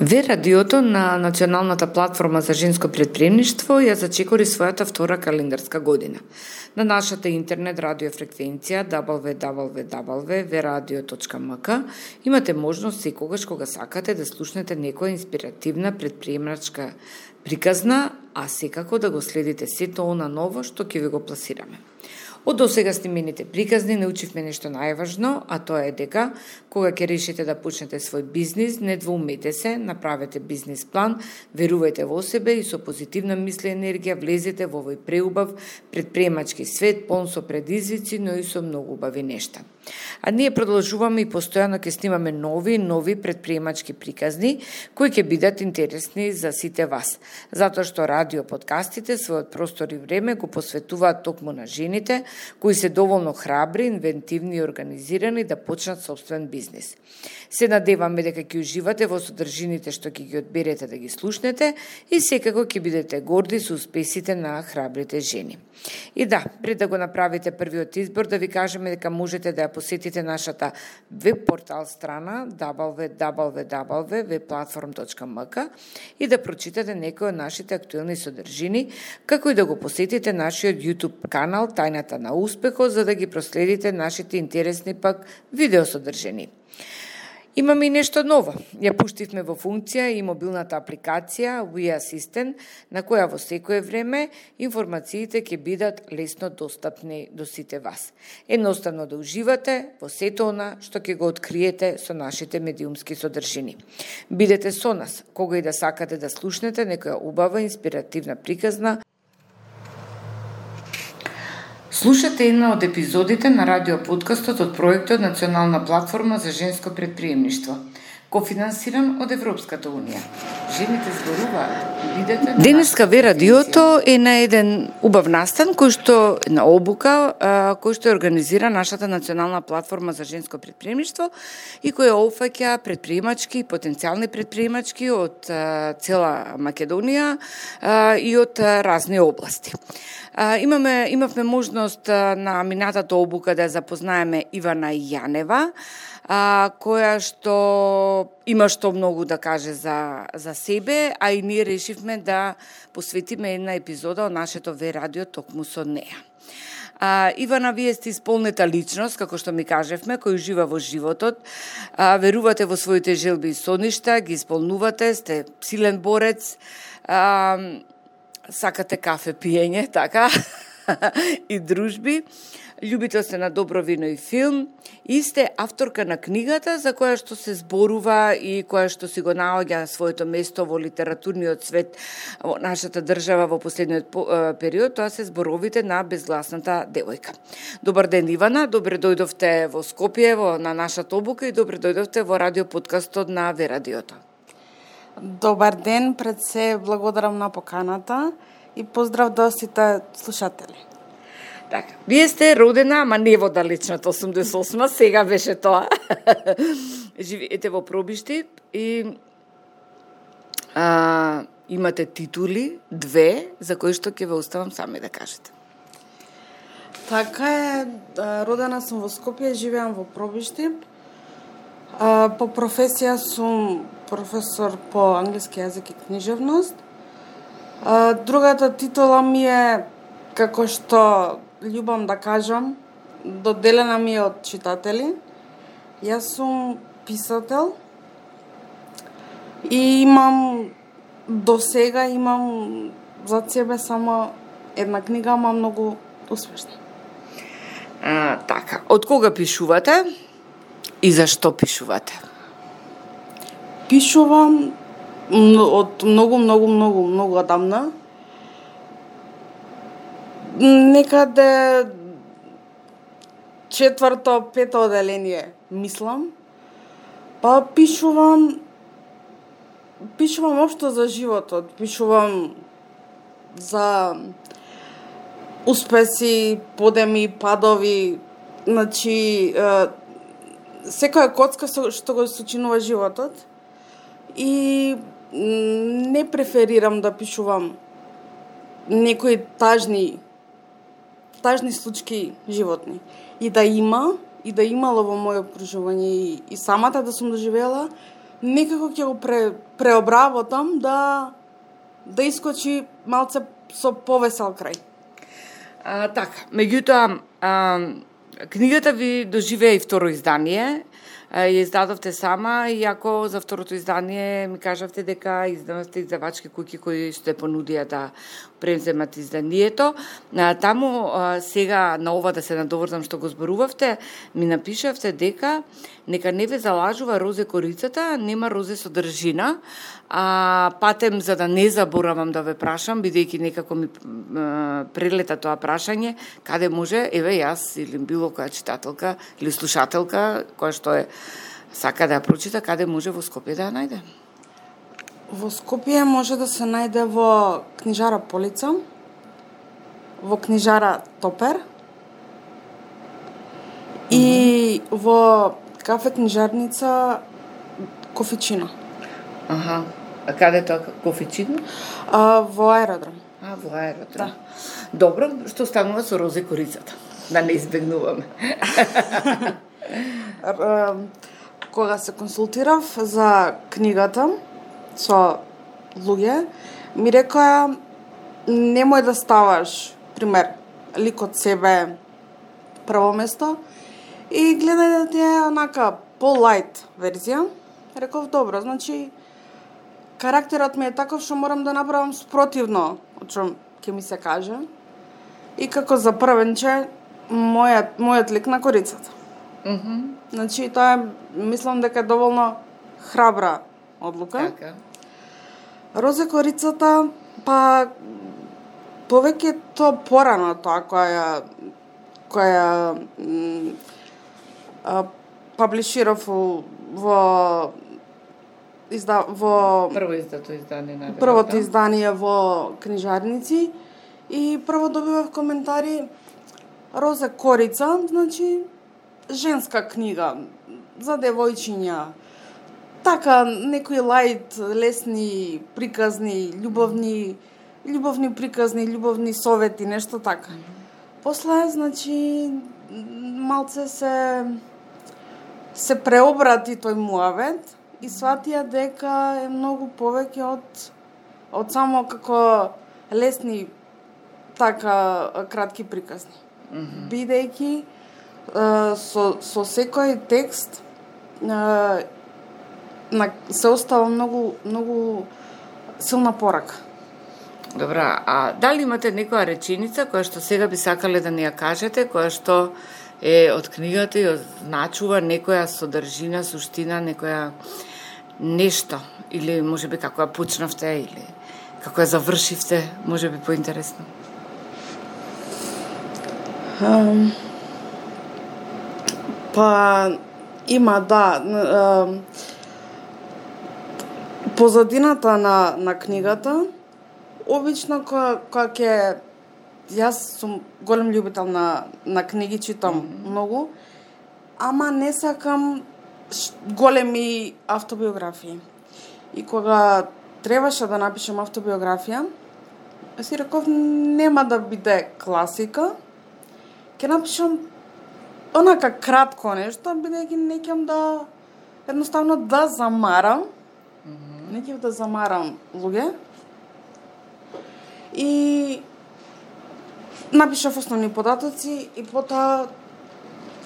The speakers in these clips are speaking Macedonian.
Ве радиото на Националната платформа за женско претприемништво ја зачекори својата втора календарска година. На нашата интернет радиофреквенција www.veradio.mk имате можност секогаш кога сакате да слушнете некоја инспиративна претприемачка приказна, а секако да го следите сето она ново што ќе ви го пласираме. Од досега снимените приказни научивме нешто најважно, а тоа е дека кога ќе решите да почнете свој бизнис, не двоумете се, направете бизнис план, верувајте во себе и со позитивна мисла и енергија влезете во овој преубав претприемачки свет, полн со предизвици, но и со многу убави нешта. А ние продолжуваме и постојано ќе снимаме нови претприемачки приказни кои ќе бидат интересни за сите вас, затоа што радио подкастите својот простор и време го посветуваат токму на жените кои се доволно храбри, инвентивни и организирани да почнат собствен бизнис. Се надеваме дека ќе уживате во содржините што ќе ги одберете да ги слушнете и секако ќе бидете горди со успесите на храбрите жени. И да, пред да го направите првиот избор, да ви кажеме дека можете да ја посетите нашата веб портал страна www.webplatform.mk и да прочитате некои од нашите актуелни содржини, како и да го посетите нашиот YouTube канал Тајната на успехот, за да ги проследите нашите интересни пак видеосодржини. Имаме и нешто ново. Ја пуштивме во функција и мобилната апликација We Assistant, на која во секое време информациите ќе бидат лесно достапни до сите вас. Едноставно да уживате во сето она што ќе го откриете со нашите медиумски содржини. Бидете со нас, кога и да сакате да слушнете некоја убава инспиративна приказна. Слушате една од епизодите на радиоподкастот од проектот Национална платформа за женско претприемништво, кофинансиран од Европската унија. Жените зборуваат. Денеска Ве радиото е на еден убав настан кој што на обука кој што организира нашата Национална платформа за женско претприемништво и која опфаќа претприемачки, потенцијални претприемачки од цела Македонија и од разни области. Имавме можност на минатата обука да запознаеме Ивана Јанева, која што има што многу да каже за себе, а и ние решивме да посветиме една епизода од нашето Ве радио токму со неа. Ивана, вие сте исполнета личност, како што ми кажевме, кој ужива во животот, верувате во своите желби и соништа, ги исполнувате, сте силен борец, сакате кафе пиење, така, и дружби, љубител сте на добро вино и филм, и сте авторка на книгата за која што се зборува и која што си го наоѓа своето место во литературниот свет во нашата држава во последниот период, тоа се зборовите на безгласната девојка. Добар ден, Ивана, добре дојдовте во Скопје, на нашата обука и добре дојдовте во радиоподкастот на Ве радиото. Добар ден, пред се благодарам на поканата и поздрав до сите слушатели. Така, вие сте родена, ама не во далечната 88-ма, сега беше тоа. Живеете во Пробишти и имате титули, 2, за кои што ќе ве оставам сами да кажете. Така е, родена сум во Скопје, живеам во Пробишти. По професија сум професор по англиски јазик и книжевност. Другата титула ми е, како што љубам да кажам, доделена ми е од читатели. Јас сум писател и до сега имам за себе само една книга, ама многу успешна. Така, од кога пишувате и зашто пишувате? Пишувам од многу одамна. Некаде 4-5 оделение, мислам. Па пишувам општо за животот, пишувам за успеси, подеми, падови, значи секоја коцка што го сочинува животот. И не преферирам да пишувам некои тажни случаи животни. И да имало во моје окружување и самата да сум доживела, некако ќе го преобработам да искочи малце со повесел крај. Така, меѓутоа, книгата ви доживеа и второ издание, ја издадовте сама, иако за второто издание ми кажавте дека издавате издавачки куќи кои што понудија да преземат изданието. Таму сега на ова да се надоврзам што го зборувавте, ми напишавте дека нека не ве залажува розе корицата, нема розе содржина. Патем за да не заборавам да ве прашам, бидејќи некако ми прелета тоа прашање, каде може, еве јас или било која читателка или слушателка која што е сака да ја прочита, каде може во Скопје да ја најде? Во Скопје може да се најде во книжара Полица, во книжара Топер и во кафе книжарница Кофичино. Аха. А каде тоа Кофичино? Во аеродром. Во аеродром. Да. Добро, што станува со розе корицата? Да не избегнуваме. Кога се консултирав за книгата со луѓе, ми рекоа немој да ставаш, пример, лик од себе прво место и гледај да ти е онака по-лайт верзија. Реков, добро, значи карактерот ми е таков што морам да направам спротивно од што ќе ми се каже. И како за првенче мојот лик на корицата. Значи тоа мислам дека е доволно храбра одлука. Така. Розе корицата, па повеќе тоа порано тоа која паблиширав во првото издание во книжарници и прво добивав коментари розе корица, значи женска книга за девојчиња. Така некои лајт, лесни, приказни, љубовни приказни, љубовни совети, нешто така. После, значи, малце се преобрати тој муавет и сватија дека е многу повеќе од само како лесни така кратки приказни. Бидејќи со секој текст се остава многу силна порака. Добра, а дали имате некоја реченица која што сега би сакале да ни ја кажете, која што е од книгата и означува некоја содржина, суштина, некоја нешто, или можеби како ја почнавте, или како ја завршивте, можеби поинтересно? Па има, да. Позадината на книгата, обично кога ќе... Јас сум голем љубител на книги, читам многу, ама не сакам големи автобиографии. И кога требаше да напишем автобиографија, си реков нема да биде класика, ќе напишам онака кратко нешто, бидејќи не ќам да едноставно да замарам. Не ќам да замарам луѓе. И напишав основни податоци и потоа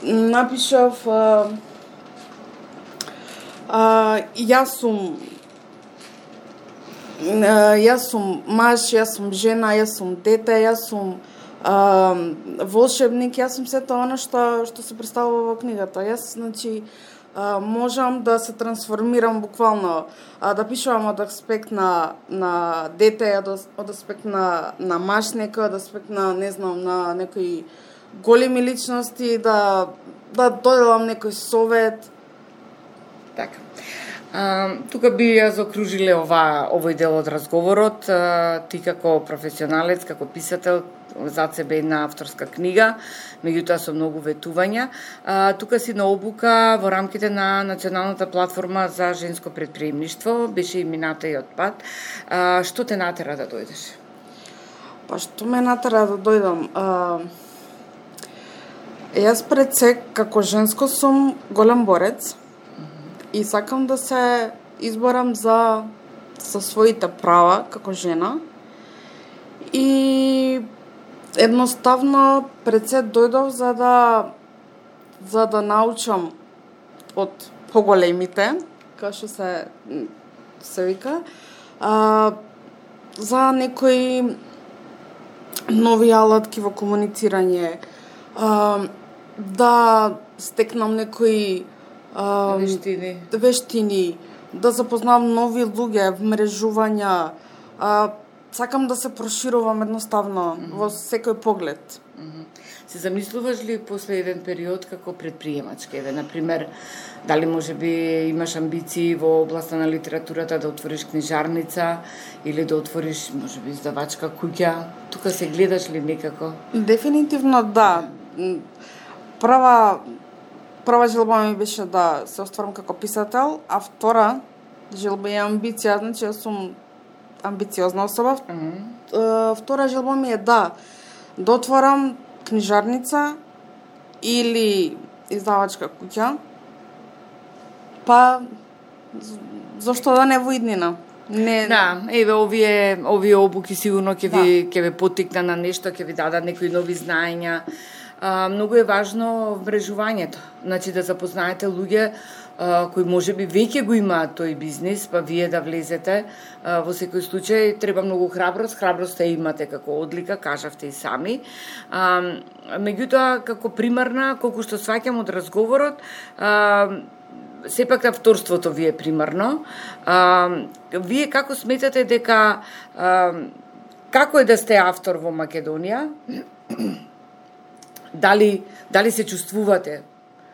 напишав јас сум маж, јас сум жена, јас сум дете, јас сум волшебник, јас сум сето она што се представува во книгата. Јас, значи, можам да се трансформирам буквално, да пишувам од аспект на дете, од аспект на маж некој, од аспект на, не знам, на некои големи личности, да доделам некој совет. Така. Тука би ја заокружиле овој дел од разговорот. Ти како професионалец, како писател, зад себе една авторска книга, меѓутоа со многу ветувања. Тука си на обука во рамките на Националната платформа за женско предприемништво, беше и мината и од пат. Што те натера да дојдеш? Па што ме натера да дојдам? Јас пред се, како женско, сум голем борец и сакам да се изборам за своите права како жена и едноставно пред се дојдов за да научам од поголемите, како што се вика, за некои нови алатки во комуницирање, да стекнам некои вештини, да запознавам нови луѓе, вмрежувања, сакам да се проширувам едноставно во секој поглед. Се замислуваш ли после еден период како предприемачка? Еве, например, дали можеби имаш амбиции во областа на литературата да отвориш книжарница или да отвориш можеби издавачка куќа? Тука се гледаш ли некако? Дефинитивно да. Прва желба ми беше да се остварам како писател, а втора желба е амбиција, значи јас сум амбициозна особа. Втора желба ми е да отворам книжарница или издавачка куќа, па зошто да не во иднина? Не... Да, еве овие обуки сигурно ќе ве поттикна на нешто, ќе ви дадат некои нови знаења. Многу е важно вмрежувањето, значи да запознаете луѓе кои можеби веќе го имаат тој бизнис, па вие да влезете. Во секој случај треба многу храброст ја имате како одлика, кажавте и сами. Меѓутоа, како примарна, колку што сваќам од разговорот, сепак авторството ви е примарно. Вие како сметате дека како е да сте автор во Македонија? Дали се чувствувате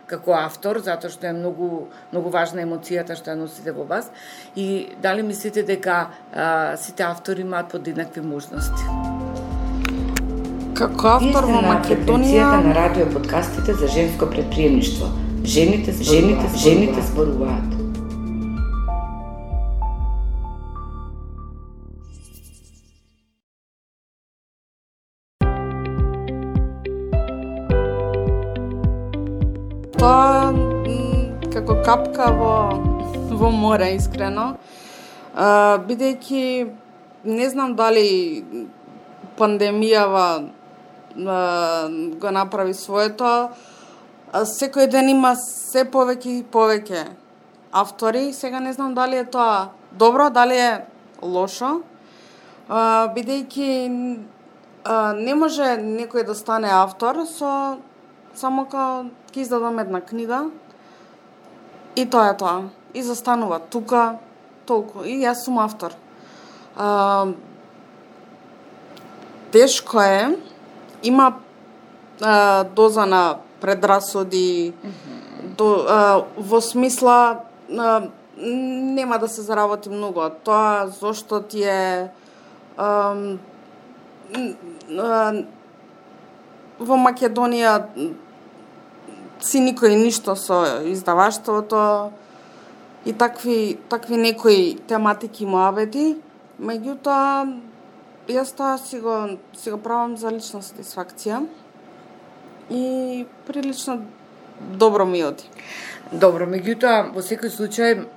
како автор, затоа што е многу важна емоцијата што ја носите во вас, и дали мислите дека сите автори имаат подеднакви можности? Како автор во Македонија на радио подкастите за женско предприемништво. Жените зборуваат. Тоа како капка во море, искрено. Бидејќи не знам дали пандемијава го направи своето, секој ден има се повеќе и повеќе автори. Сега не знам дали е тоа добро, дали е лошо, бидејќи не може некој да стане автор само као ќе издадам една книга и тоа е тоа. И застанува тука, толку. И јас сум автор. Тешко е, има доза на предрасуди, во смисла нема да се заработи многу. Тоа зошто ти е во Македонија си никој ништо со издаваштвото и такви некои тематики муабети, меѓутоа јас тоа си го правам за лична сатисфакција и прилично добро ми оди. Добро, меѓутоа, во секој случај,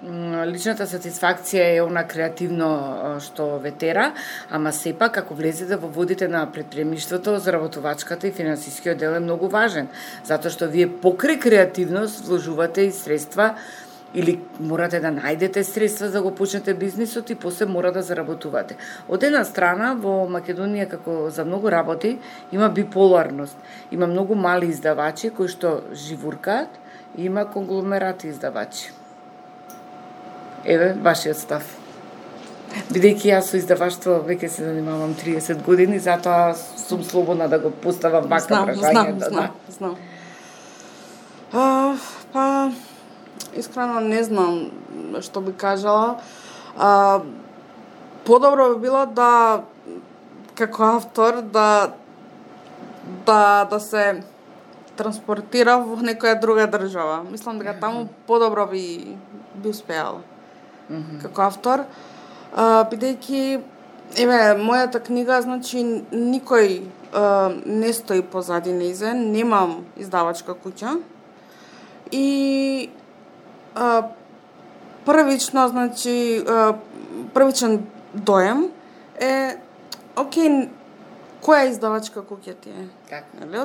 личната сатисфакција е она креативно што ве тера, ама сепак, ако влезете во водите на предприемништвото, заработувачката и финансискиот дел е многу важен, затоа што вие покрај креативност вложувате и средства, или морате да најдете средства за да го почнете бизнисот и после мора да заработувате. Од една страна, во Македонија, како за многу работи, има биполарност. Има многу мали издавачи кои што живуркаат, и има конгломерати издавачи. Еве, вашиот став. Бидејќи јас со издаваштво веќе се занимавам 30 години, затоа сум слободна да го поставам вака прашањето. Знам. Па, искрено не знам што би кажала. Подобро би било да, како автор, да се транспортира во некоја друга држава. Мислам дека таму подобро би успеала. Како автор, бидејќи мојата книга, значи никој не стои позади нејзе, немам издавачка куќа и првично, значи, првичен доем е, окей, која издавачка куќа ти е? Така. Нели?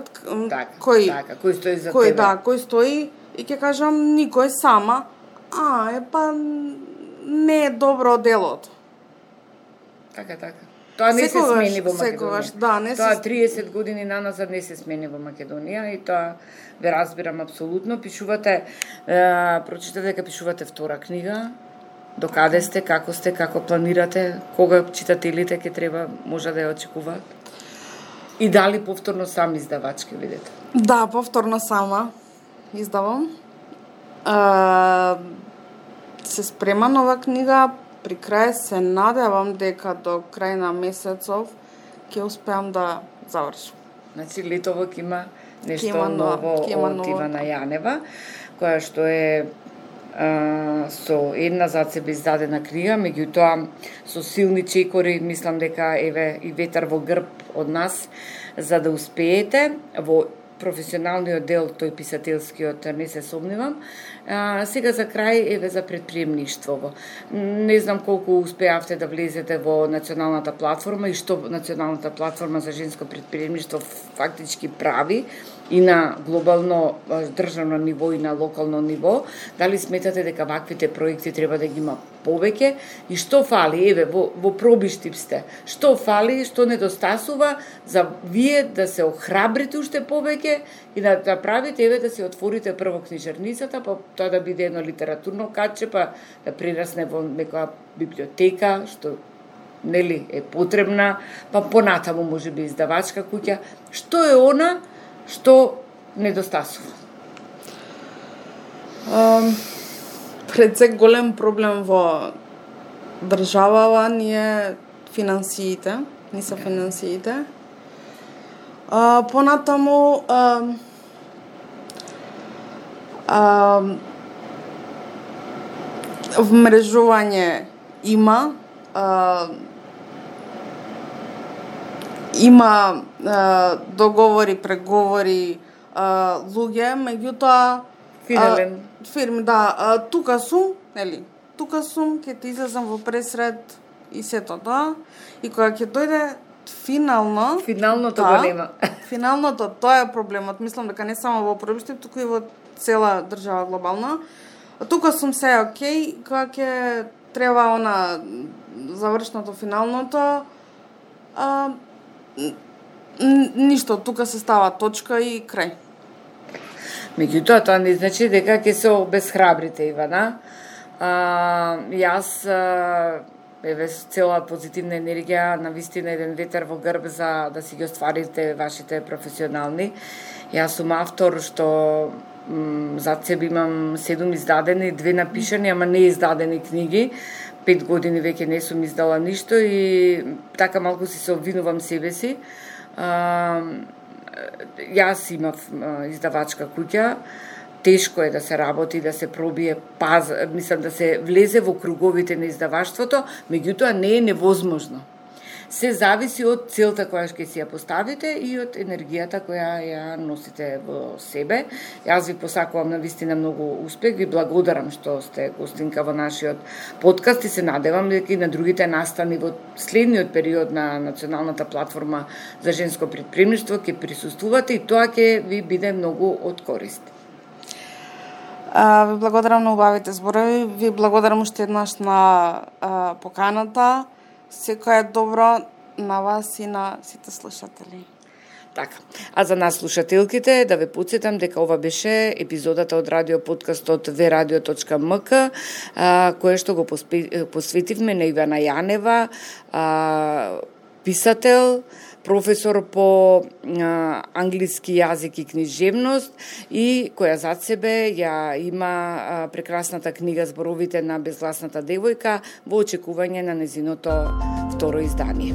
Кој стои за тебе? Кој стои и ќе кажам никој сама. Не е добро делото. Така. Тоа не се смени во Македонија. Тоа 30 години наназад не се смени во Македонија и тоа ве разбирам апсолутно. Пишувате, прочитате дека пишувате втора книга. До каде сте, како планирате, кога читателите ќе треба, може да ја очекуваат? И дали повторно сам издавач ќе видите? Да, повторно сама издавам. Се спрема нова книга, при крај се надевам дека до крај на месецов ќе успеам да завршам. Значи летово ќе има нешто ново од Ивана Јанева, која што е со една зад себе издадена книга, меѓутоа со силни чекори, мислам дека еве и ветар во грб од нас, за да успеете во професионалниот дел, тој писателскиот, не се сомневам. Сега за крај, еве за предприемништво. Не знам колку успеавте да влезете во националната платформа и што националната платформа за женско предприемништво фактички прави и на глобално државно ниво и на локално ниво. Дали сметате дека ваквите проекти треба да ги има повеќе и што фали, еве во пробиштип сте, што фали, што недостасува за вие да се охрабрите уште повеќе и да правите, еве да се отворите прво книжарницата, па тоа да биде едно литературно катче, па да прерасне во некоја библиотека, што нели е потребна, па понатаму можеби издавачка куќа. Што е она што недостасува? Пред се голем проблем во државава ни е финансиите, не се финансиите. Понатаму вмрежување има договори, преговори, луѓе, меѓутоа фирми, тука сум, нели? Тука сум, ќе ти излезам во пресред и сето тоа. И кога ќе дојде финалното го нема. Финалното, тоа е проблемот. Мислам дека не само во пробиштип, туку и во цела држава глобално. Тука сум се окей, кога ќе треба она завршното, финалното, ништо, тука се става точка и крај. Меѓутоа, тоа не значи дека ќе се обесхрабрите, Ивана. Јас, еве, цела позитивна енергија, навистина еден ветер во грб за да си ги остварите вашите професионални. Јас сум автор што зад себе имам 7 издадени, 2 напишани, ама не издадени книги. 5 години веќе не сум издала ништо и така малку си се обвинувам себе си. Јас имав издавачка куќа, тешко е да се работи, да се пробие мислам да се влезе во круговите на издаваштвото, меѓутоа не е невозможно. Се зависи од целта која ќе си ја поставите и од енергијата која ја носите во себе. Јас ви посакувам навистина многу успех, ви благодарам што сте гостинка во нашиот подкаст и се надевам дека и на другите настани во следниот период на националната платформа за женско предприемништво ќе присуствувате и тоа ќе ви биде многу од корист. Ви благодарам на убавите зборови, ви благодарам уште еднаш на поканата. Секој е добро на вас и на сите слушатели. Така. А за нас слушателките да ве потсетам дека ова беше епизодата од радио подкастот vradio.mk, кое што го посветивме на Ивана Јанева, писател, професор по англиски јазик и книжевност и која зад себе ја има прекрасната книга Зборовите на безгласната девојка во очекување на незиното второ издание.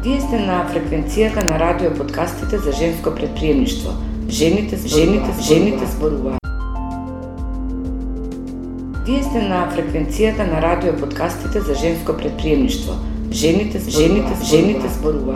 Вие сте на фреквенцијата на радио подкастите за женско предприемништво. Жените зборуваат. Вие сте на фреквенцијата на радио подкастите за женско предприемништво. Жените зборуваат.